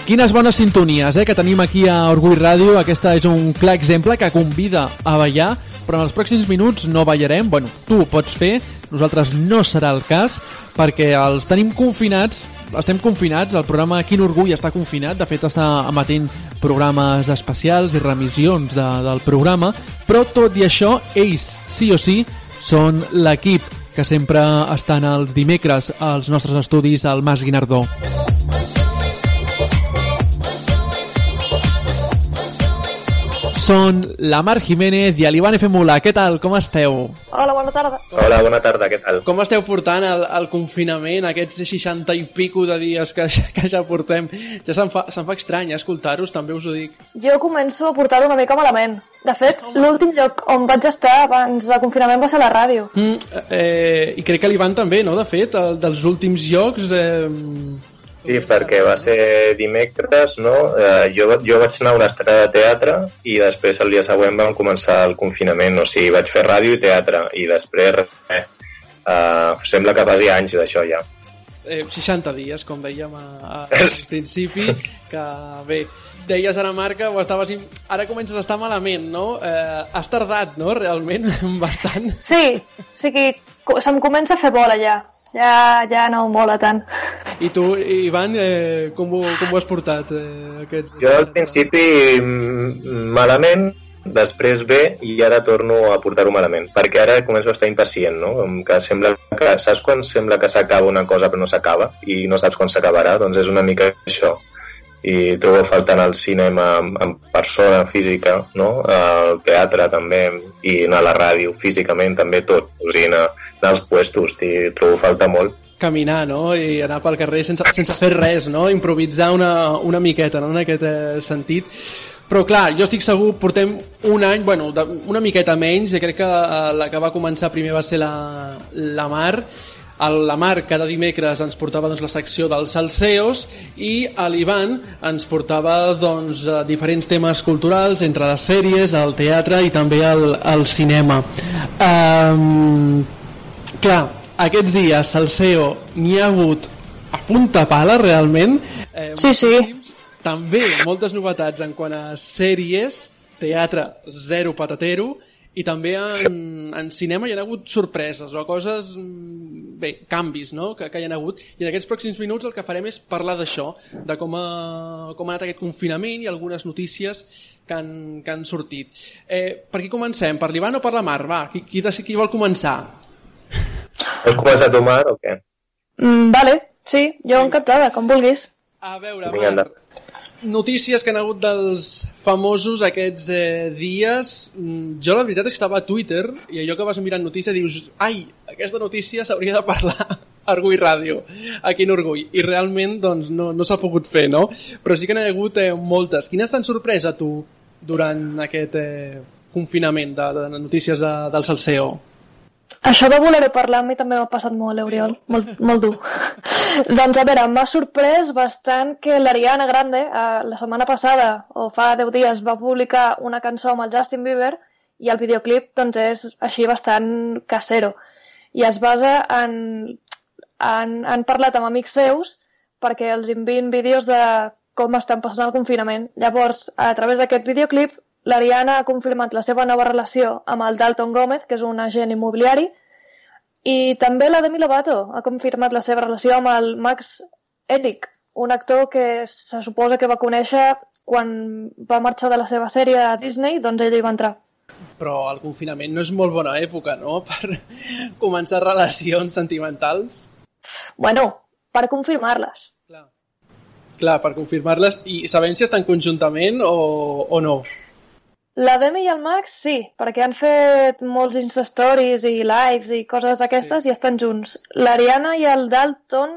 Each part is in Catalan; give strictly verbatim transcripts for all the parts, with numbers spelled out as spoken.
Quines bones sintonies eh, que tenim aquí a Orgull Ràdio. Aquesta és un clar exemple que convida a ballar, però en els pròxims minuts no ballarem. Bueno, tu ho pots fer, nosaltres no serà el cas, perquè els tenim confinats, estem confinats, el programa Quin Orgull està confinat, de fet està emetent programes especials i remissions de, del programa, però tot i això, ells sí o sí són l'equip que sempre estan els dimecres als nostres estudis al Mas Guinardó. Són la Mar Jiménez i l'Ivan F. Mula. Què tal? Com esteu? Hola, bona tarda. Hola, bona tarda, què tal? Com esteu portant el, el confinament, aquests seixanta i pico de dies que, que ja portem? Ja se'm fa, se'm fa estrany escoltar-vos, també us ho dic. Jo començo a portar-ho una mica malament. De fet, l'últim lloc on vaig estar abans del confinament va ser a la ràdio. Mm, eh, I crec que l'Ivan també, no? De fet, el, dels últims llocs... Eh... Sí, perquè va ser dimecres, no? Eh, jo, jo vaig anar a una estrena de teatre i després el dia següent vam començar el confinament, o sigui, vaig fer ràdio i teatre i després, eh, eh, sembla que passi anys d'això ja. Eh, seixanta dies, com dèiem a, a, al principi, que bé, deies ara, Marca, o estaves... Ara comences a estar malament, no? Eh, has tardat, no?, realment, bastant. Sí, o sigui, se'm comença a fer bola ja. Ja, ja no mola tant. I tu, Ivan, eh, com, ho, com ho has portat? Eh, aquest... Jo al principi malament, després bé, i ara torno a portar-ho malament, perquè ara començo a estar impacient, no? Que sembla que, saps quan sembla que s'acaba una cosa però no s'acaba i no saps quan s'acabarà? Doncs és una mica això. I trobo a faltar al cinema en persona física, no? Al teatre també, i anar a la ràdio físicament també, tot, o sigui, anar, anar als puestos, i trobo a faltar molt. Caminar, no? I anar pel carrer sense, sense fer res, no? Improvisar una, una miqueta, no? En aquest eh, sentit. Però clar, jo estic segur, portem un any, bueno, de, una miqueta menys, i crec que eh, la que va començar primer va ser la, la Mar. El, la Mar cada dimecres ens portava doncs, la secció dels salseos i l'Ivan ens portava doncs, diferents temes culturals entre les sèries, el teatre i també el, el cinema. Um, clar, aquests dies salseo n'hi ha hagut a punta pala realment. Eh, sí, sí. També moltes novetats en quant a sèries, teatre zero patatero, i també en, en cinema hi ha hagut sorpreses o coses, bé, canvis, no?, que, que hi ha hagut, i en aquests pròxims minuts el que farem és parlar d'això, de com ha, com ha anat aquest confinament i algunes notícies que han, que han sortit. Eh, per qui comencem? Per l'Ivan o per la Mar? Va, qui, qui, qui vol començar? Vols començar tu, Mar, o què? Mm, vale, sí, jo encantada, com vulguis. A veure, Mar, notícies que han hagut dels famosos aquests eh, dies. Jo la veritat és que estava a Twitter i allò que vas mirant notícia dius, ai, aquesta notícia s'hauria de parlar a Orgull Ràdio, a Quin Orgull, i realment doncs, no, no s'ha pogut fer, no? Però sí que n'hi ha hagut eh, moltes. Quines t'han sorprès a tu durant aquest eh, confinament de, de notícies de, del salseo? Això de voler parlar a mi també m'ha passat molt, Oriol, molt, molt dur. Doncs a veure, m'ha sorprès bastant que l'Ariana Grande eh, la setmana passada, o fa deu dies, va publicar una cançó amb el Justin Bieber i el videoclip doncs, és així bastant casero. I es basa en... Han, han parlat amb amics seus perquè els envien vídeos de com estan passant el confinament. Llavors, a través d'aquest videoclip, l'Ariana ha confirmat la seva nova relació amb el Dalton Gómez, que és un agent immobiliari, i també la Demi Lovato ha confirmat la seva relació amb el Max Ehreich, un actor que se suposa que va conèixer quan va marxar de la seva sèrie a Disney, doncs ell hi va entrar. Però el confinament no és molt bona època, no?, per començar relacions sentimentals. Bueno, per confirmar-les. Clar, Clar per confirmar-les. I sabem si estan conjuntament o, o no? La Demi i el Max, sí, perquè han fet molts Insta-stories i lives i coses d'aquestes, sí, i estan junts. L'Ariana i el Dalton,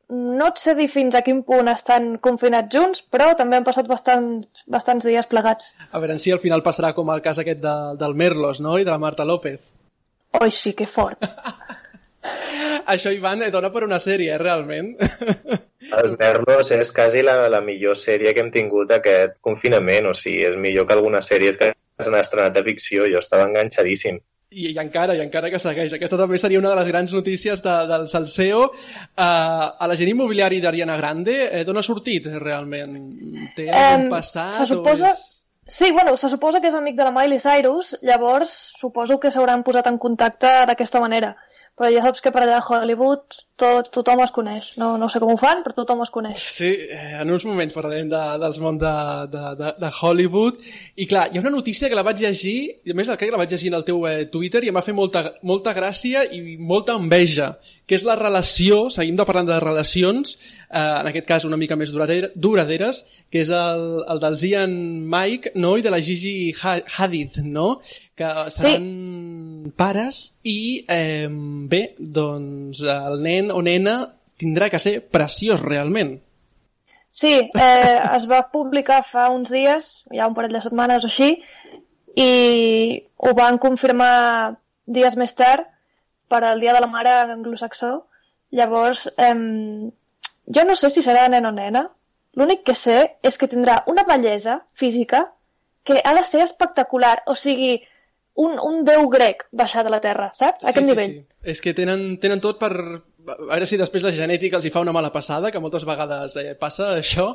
no et sé dir fins a quin punt estan confinats junts, però també han passat bastant, bastants dies plegats. A veure si al final passarà com el cas aquest de, del Merlos, no?, i de la Marta López. Oi, sí, que fort. Això, Ivan, dona per una sèrie, eh, realment. El Merlos és quasi la, la millor sèrie que hem tingut aquest confinament, o sigui, és millor que algunes sèries que s'han estrenat de ficció, jo estava enganxadíssim. I, i encara, i encara que segueix. Aquesta també seria una de les grans notícies de, del Salseo. Uh, a l'agent immobiliari d'Ariana Grande, eh, d'on ha sortit realment? Té algun um, passat? Se suposa... És... Sí, bueno, se suposa que és amic de la Miley Cyrus, llavors suposo que s'hauran posat en contacte d'aquesta manera. Però ja saps que per allà a Hollywood tot, tothom es coneix. No, no sé com ho fan, però tothom es coneix. Sí, en uns moments parlarem de, dels món de, de, de, de Hollywood. I clar, hi ha una notícia que la vaig llegir, i a més crec que la vaig llegir en el teu eh, Twitter, i em va fer molta, molta gràcia i molta enveja, que és la relació, seguim de parlant de relacions, eh, en aquest cas una mica més duradera, duraderes, que és el, el del Zian Mike, no?, i de la Gigi Hadid, no?, que seran sí. pares i, eh, bé, doncs el nen o nena tindrà que ser preciós realment. Sí, eh, es va publicar fa uns dies, ja un parell de setmanes o així, i ho van confirmar dies més tard per al Dia de la Mare anglosaxó. Llavors, eh, jo no sé si serà nen o nena, l'únic que sé és que tindrà una bellesa física que ha de ser espectacular, o sigui, un, un déu grec baixar de la terra, saps? A aquest sí, nivell. Sí, sí. És que tenen, tenen tot per... A veure si després la genètica els hi fa una mala passada, que moltes vegades eh, passa això,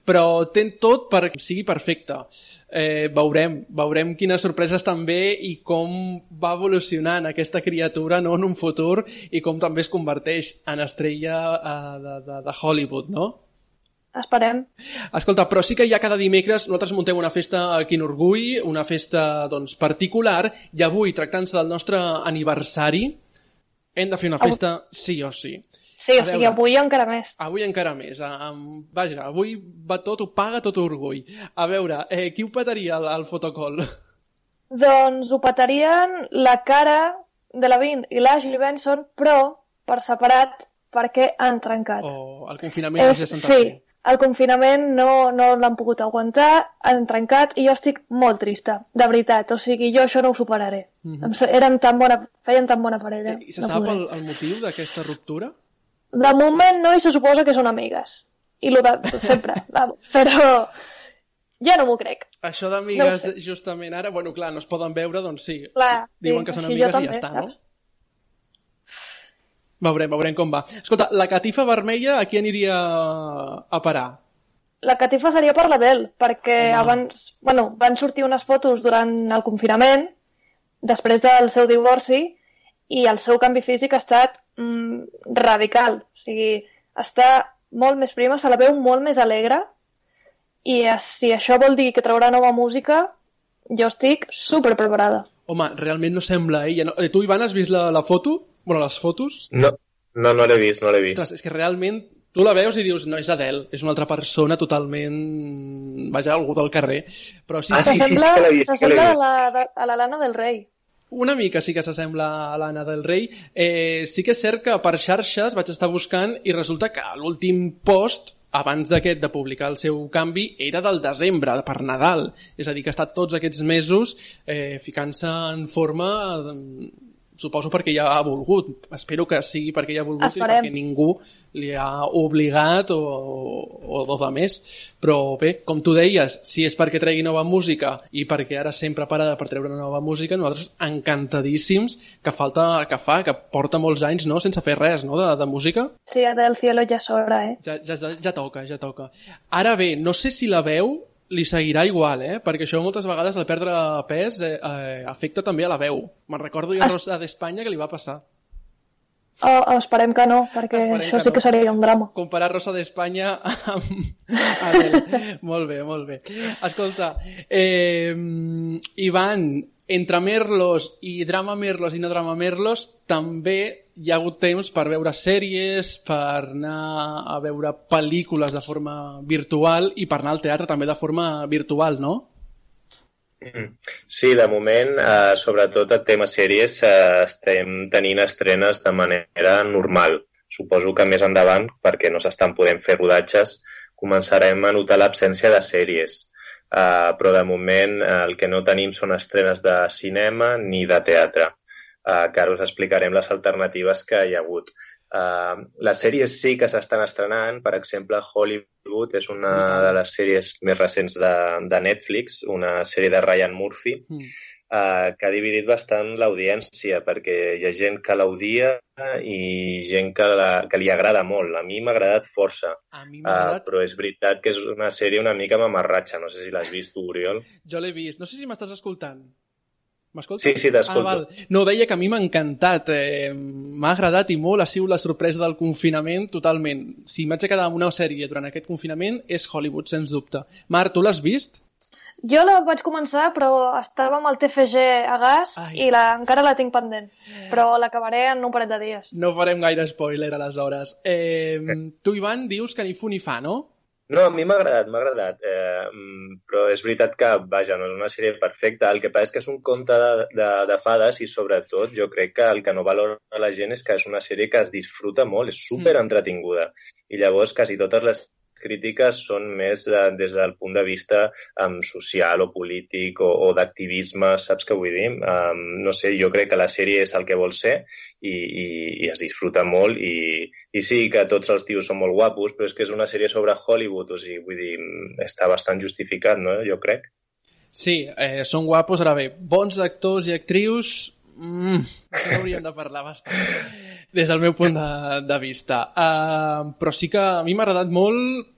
però ten tot perquè sigui perfecte. Eh, veurem, veurem quines sorpreses també i com va evolucionant aquesta criatura, no, en un futur, i com també es converteix en estrella eh, de, de, de Hollywood, no? Esperem. Escolta, però sí que ja cada dimecres nosaltres muntem una festa aquí en Orgull, una festa doncs, particular, i avui, tractant-se del nostre aniversari, hem de fer una festa sí o sí. Sí, o sigui, avui encara més. Avui encara més. Um, vaja, avui va tot, ho paga tot Orgull. A veure, eh, qui ho petaria al, al fotocall? Doncs ho petarien la Cara Delevingne i l'Ashley Benson, però per separat perquè han trencat. Oh, el confinament és, de Santa sí, Fe. El confinament no, no l'han pogut aguantar, han trencat i jo estic molt trista, de veritat. O sigui, jo això no ho superaré. Mm-hmm. Eren tan bona, feien tan bona parella. I se no sap el, el motiu d'aquesta ruptura? De moment no, i se suposa que són amigues. I lo de sempre, vamos. Però ja no m'ho crec. Això d'amigues, no justament ara, bueno, clar, no es poden veure, doncs sí. Clar, diuen sí, que són amigues i també, ja està, saps? no? Veurem, veurem com va. Escolta, la catifa vermella a qui aniria a parar? La catifa seria per l'Adele, perquè Home. abans, bueno, van sortir unes fotos durant el confinament, després del seu divorci, i el seu canvi físic ha estat mm, radical. O sigui, està molt més prima, se la veu molt més alegre, i si això vol dir que traurà nova música, jo estic super preparada. Home, realment no sembla ella. No? Tu, Ivan, has vist la, la foto? Bueno, les fotos? No, no, no l'he vist, no l'he vist. Ostres, és que realment tu la veus i dius, no, és Adele, és una altra persona totalment... Vaja, algú del carrer. Però sí, ah, sí, sí, sí, que l'he vist. S'assembla a, la, a la Lana del Rei. Una mica sí que s'assembla a l'Anna del Rei. Eh, sí que és cert que per xarxes vaig estar buscant i resulta que l'últim post, abans d'aquest de publicar el seu canvi, era del desembre, per Nadal. És a dir, que ha estat tots aquests mesos eh, ficant-se en forma... Eh, suposo perquè ja ha volgut. Espero que sigui perquè ja ha volgut Esperem. i perquè ningú li ha obligat o, o, o de més. Però bé, com tu deies, si és perquè tregui nova música i perquè ara sempre parada per treure nova música, nosaltres encantadíssims que falta, que fa, que porta molts anys, no?, sense fer res, no?, de, de música. Sí, del cielo ja és hora, eh? Ja, ja, ja toca, ja toca. Ara bé, no sé si la veu li seguirà igual, eh? Perquè això moltes vegades al perdre pes eh, eh, afecta també a la veu. Me'n recordo jo a Rosa d'Espanya que li va passar. Oh, esperem que no, perquè esperem això sí que, no. que seria un drama. Comparar Rosa d'Espanya amb Adele. Molt bé, molt bé. Escolta, eh, Ivan, entre Merlos i Drama Merlos i no Drama Merlos, també hi ha hagut temps per veure sèries, per anar a veure pel·lícules de forma virtual i per anar al teatre també de forma virtual, no? Sí, de moment, eh, sobretot el tema sèries, eh, estem tenint estrenes de manera normal. Suposo que més endavant, perquè no s'estan podent fer rodatges, començarem a notar l'absència de sèries. Uh, però de moment uh, el que no tenim són estrenes de cinema ni de teatre, uh, que ara us explicarem les alternatives que hi ha hagut. Uh, les sèries sí que s'estan estrenant, per exemple Hollywood és una de les sèries més recents de, de Netflix, una sèrie de Ryan Murphy, mm. uh, que ha dividit bastant l'audiència, perquè hi ha gent que l'odia i gent que, la, que li agrada molt. A mi m'ha agradat força, a mi m'ha agradat... uh, però és veritat que és una sèrie una mica mamarratxa. No sé si l'has vist tu, Oriol. Jo l'he vist. No sé si m'estàs escoltant. M'escoltes? Sí, sí, t'escolto. Ah, val. No, deia que a mi m'ha encantat. Eh, m'ha agradat i molt. Ha sigut la sorpresa del confinament totalment. Si m'haig de quedar amb una sèrie durant aquest confinament és Hollywood, sens dubte. Marc, tu l'has vist? Jo la vaig començar, però estava amb el T F G a gas Ai. i la, encara la tinc pendent. Però l'acabaré en un parell de dies. No farem gaire spoiler, aleshores. Eh, tu, Ivan, dius que ni fu ni fa, no? No, a mi m'ha agradat, m'ha agradat, eh, però és veritat que, vaja, no és una sèrie perfecta. El que passa és que és un conte de, de, de fades i, sobretot, jo crec que el que no valora la gent és que és una sèrie que es disfruta molt, és super entretinguda. I llavors quasi totes les crítiques són més de, des del punt de vista um, social o polític o, o d'activisme, saps què vull dir? Um, no sé, jo crec que la sèrie és el que vol ser i, i, i es disfruta molt i, i sí que tots els tios són molt guapos, però és que és una sèrie sobre Hollywood, o sigui, vull dir, està bastant justificat, no? Jo crec. Sí, eh, són guapos, ara bé, bons actors i actrius... Mm, això hauríem de parlar bastant des del meu punt de, de vista, uh, però sí que a mi m'ha agradat molt.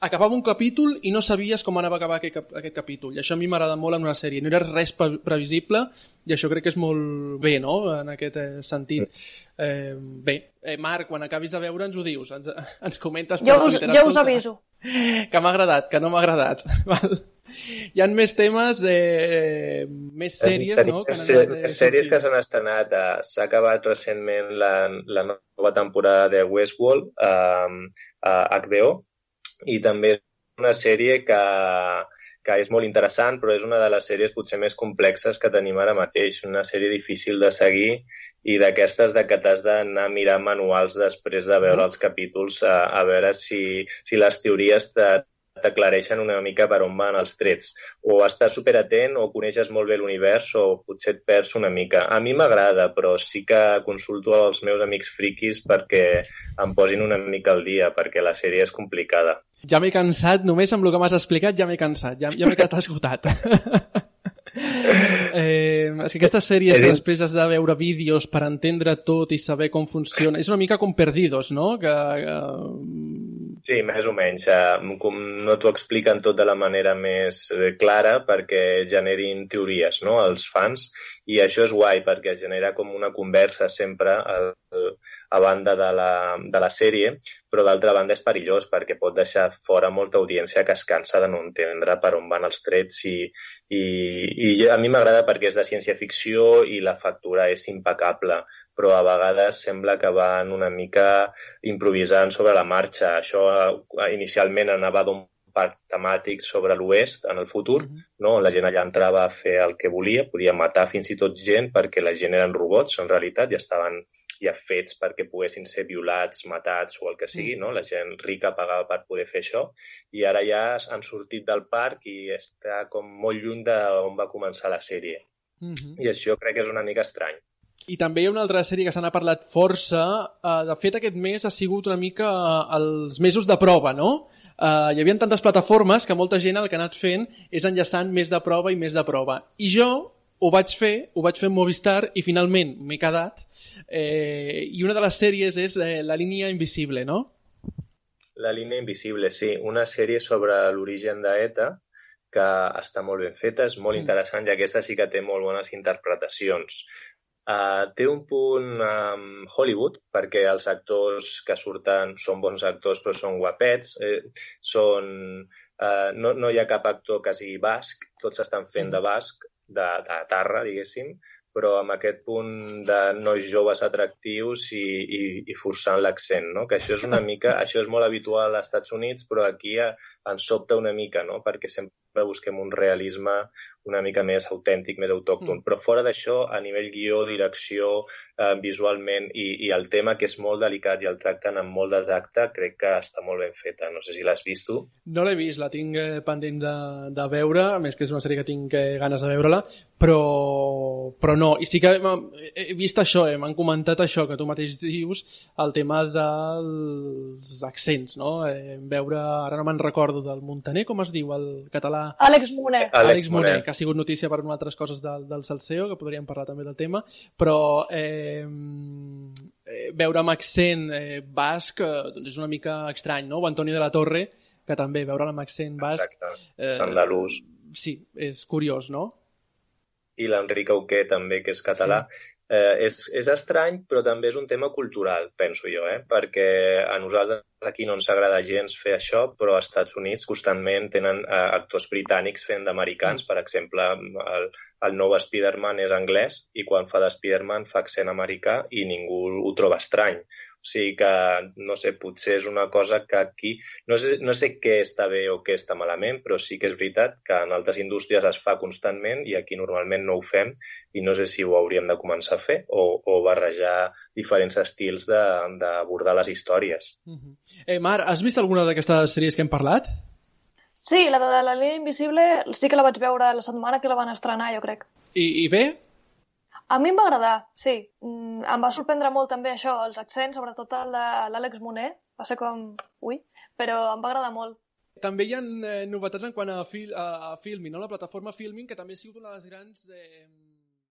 Acabava un capítol i no sabies com anava a acabar aquest, aquest capítol, i això a mi m'ha agradat molt en una sèrie, no era res previsible i això crec que és molt bé, no?, en aquest eh, sentit. Eh, bé, eh, Marc, quan acabis de veure ens ho dius, ens, ens comentes jo us, jo us aviso que m'ha agradat, que no m'ha agradat. Val? Hi ha més temes, eh, més sèries, Tenim, no? Que anat, eh, sèries que s'han estrenat. Eh, s'ha acabat recentment la, la nova temporada de Westworld eh, a H B O i també és una sèrie que, que és molt interessant, però és una de les sèries potser més complexes que tenim ara mateix. Una sèrie difícil de seguir i d'aquestes de que t'has d'anar a mirar manuals després de veure els capítols a, a veure si, si les teories te t'aclareixen una mica per on van els trets. O estàs superatent o coneixes molt bé l'univers o potser et perds una mica. A mi m'agrada, però sí que consulto als meus amics friquis perquè em posin una mica al dia, perquè la sèrie és complicada. Ja m'he cansat, només amb el que m'has explicat ja m'he cansat, ja, ja m'he quedat esgotat. eh, és que aquestes sèries que després has de veure vídeos per entendre tot i saber com funciona, és una mica com Perdidos, no? Que... que... Sí, més o menys. No t'ho expliquen tot de la manera més clara perquè generin teories, no?, els fans, i això és guai perquè genera com una conversa sempre a, a banda de la, de la sèrie, però d'altra banda és perillós perquè pot deixar fora molta audiència que es cansa de no entendre per on van els trets i, i, i a mi m'agrada perquè és de ciència-ficció i la factura és impecable, però a vegades sembla que van una mica improvisant sobre la marxa. Això inicialment anava d'un parc temàtic sobre l'oest en el futur, no? On la gent allà entrava a fer el que volia, podia matar fins i tot gent perquè la gent eren robots, en realitat, i estaven ja fets perquè poguessin ser violats, matats o el que sigui, no? La gent rica pagava per poder fer això, i ara ja han sortit del parc i està com molt lluny d'on va començar la sèrie. Mm-hmm. I això crec que és una mica estrany. I també hi ha una altra sèrie que se n'ha parlat força. De fet, aquest mes ha sigut una mica els mesos de prova, no? Hi havia tantes plataformes que molta gent el que ha anat fent és enllaçant més de prova i més de prova. I jo ho vaig fer, ho vaig fer en Movistar i finalment m'he quedat. I una de les sèries és La línia invisible, no? La línia invisible, sí. Una sèrie sobre l'origen d'ETA que està molt ben feta, és molt interessant i aquesta sí que té molt bones interpretacions. Uh, té un punt um, Hollywood, perquè els actors que surten són bons actors però són guapets, eh, són, uh, no, no hi ha cap actor que sigui basc, tots estan fent de basc, de, de tarra, diguéssim, però amb aquest punt de nois joves atractius i, i, i forçant l'accent, no? Que això és una mica, això és molt habitual als Estats Units, però aquí ens sobta una mica, no? Perquè sempre busquem un realisme una mica més autèntic, més autòcton. Mm. Però fora d'això, a nivell guió, direcció, eh, visualment i, i el tema, que és molt delicat i el tracten amb molt de tacte, crec que està molt ben feta. No sé si l'has vist tu. No l'he vist, la tinc eh, pendent de, de veure, a més que és una sèrie que tinc eh, ganes de veure-la, però, però no. I sí que he vist això, eh, m'han comentat això que tu mateix dius, el tema dels accents, no? Eh, veure, ara no me'n recordo recordo del Montaner, com es diu el català? Àlex Moner. Àlex Àlex Moner, Moner. que ha sigut notícia per unes altres coses del, del Salseo, que podríem parlar també del tema, però eh, eh, veure amb accent eh, basc eh, doncs és una mica estrany, no? O Antoni de la Torre, que també veure amb accent basc... Exacte, Eh, andalús. sí, és curiós, no? I l'Enric Auqué també, que és català. Sí. Eh, és, és estrany, però també és un tema cultural, penso jo, eh? Perquè a nosaltres aquí no ens agrada gens fer això, però als Estats Units constantment tenen eh, actors britànics fent d'americans. Per exemple, el, el nou Spider-Man és anglès i quan fa de Spider-Man fa accent americà i ningú ho troba estrany. O sigui que, no sé, potser és una cosa que aquí... No sé, no sé què està bé o què està malament, però sí que és veritat que en altres indústries es fa constantment i aquí normalment no ho fem i no sé si ho hauríem de començar a fer o, o barrejar diferents estils d'abordar les històries. Uh-huh. Eh, Mar, has vist alguna d'aquestes sèries que hem parlat? Sí, la de la línia invisible sí que la vaig veure la setmana que la van estrenar, jo crec. I, i bé? A mi em va agradar, sí. Mm, em va sorprendre molt també això, els accents, sobretot el de l'Àlex Moner. Va ser com... Ui, però em va agradar molt. També hi ha eh, novetats en quant a, fil, a, a Filmin, no? La plataforma Filmin, que també ha sigut una de les grans... Eh,